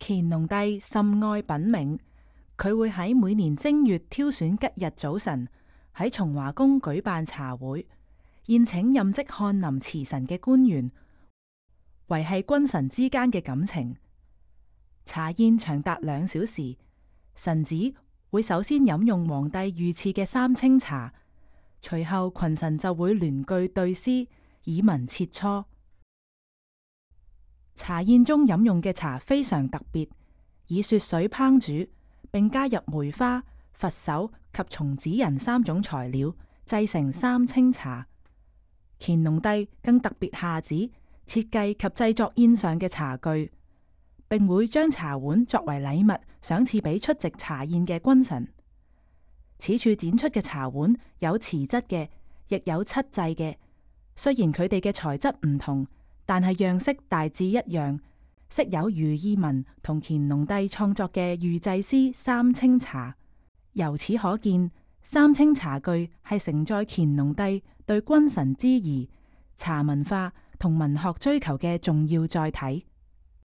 乾隆帝甚愛品茗，佢會喺每年正月挑選吉日早晨喺崇華宮舉辦茶會，宴請任職翰林祠臣嘅官員，維繫君臣之間嘅感情。茶宴長達2小時，臣子會首先飲用皇帝御賜嘅三清茶，隨後群臣就會聯句對詩，以文切磋。茶宴中飲用嘅茶非常特別，以雪水烹煮，並加入梅花、佛手及松子仁3種材料，製成三清茶。乾隆帝更特別下旨設計及製作宴上嘅茶具，並會將茶碗作為禮物賞賜俾出席茶宴嘅君臣。此處展出嘅茶碗有瓷質嘅，亦有漆製嘅。雖然佢哋嘅材質唔同，但係樣式大致一樣，飾有如意紋同乾隆帝創作嘅御製詩三清茶。由此可見，三清茶具係承載乾隆帝對君臣之誼、茶文化同文學追求嘅重要載體。